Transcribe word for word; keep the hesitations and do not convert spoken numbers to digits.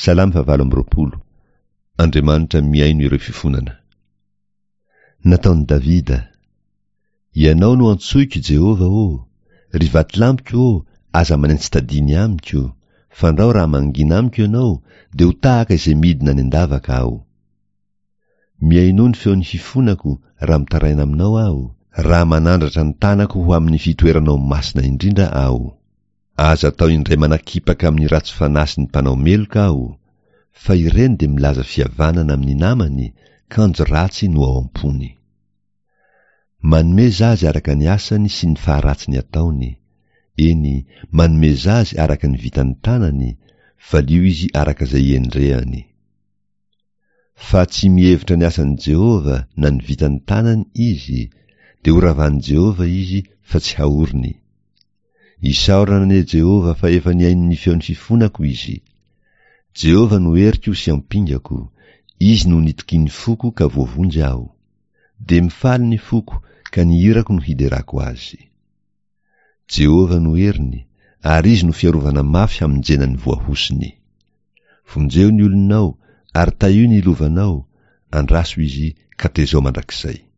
Salamo fahavalo amby roapolo. Andriamanitra mihaino ireo fifonana. Nataon'i Davida. Ianao no antsoiko, Jehovah ô! Ry vatolampiko ô, aza manentsi-tadìny amiko, fandrao raha mangina amiko ianao, dia ho tahaka izay midina any an-davaka aho. Mihainoa ny feon'ny fifonako raha mitaraina aminao aho, raha manandratra ny tanako ho amin'ny fitoeranao masina indrindra aho. Aza atao indray manakipaka amin'ny ratsy fanahy sy ny mpanao meloka aho, fa ireny dia milaza fihavanana amin'ny namany, kanjo ratsy no ao am-pony. Manomeza azy araka ny asany sy ny faharatsiny ataony, eny, manomeza azy araka ny vitan'ny tanany, valio izy araka izay iendrehany. Fa tsy mihevitra ny asan'i Jehovah na ny vitan'ny tanany izy, dia horavan'i Jehovah izy fa tsy haoriny. Isaorana anie Jehovah fa efa nihaino ny feon'ny fifonako izy. Jehovah no heriko sy ampingako, Izy no nitokian'ny foko ka voavonjy aho. Dia mifaly ny foko ka ny hirako no hiderako azy. Jehovah no heriny, ary Izy no fiarovana mafy hamonjena ny voahosony. Vonjeo ny olonao ary tahio ny lovanao, andraso izy ka tezao mandrakizay.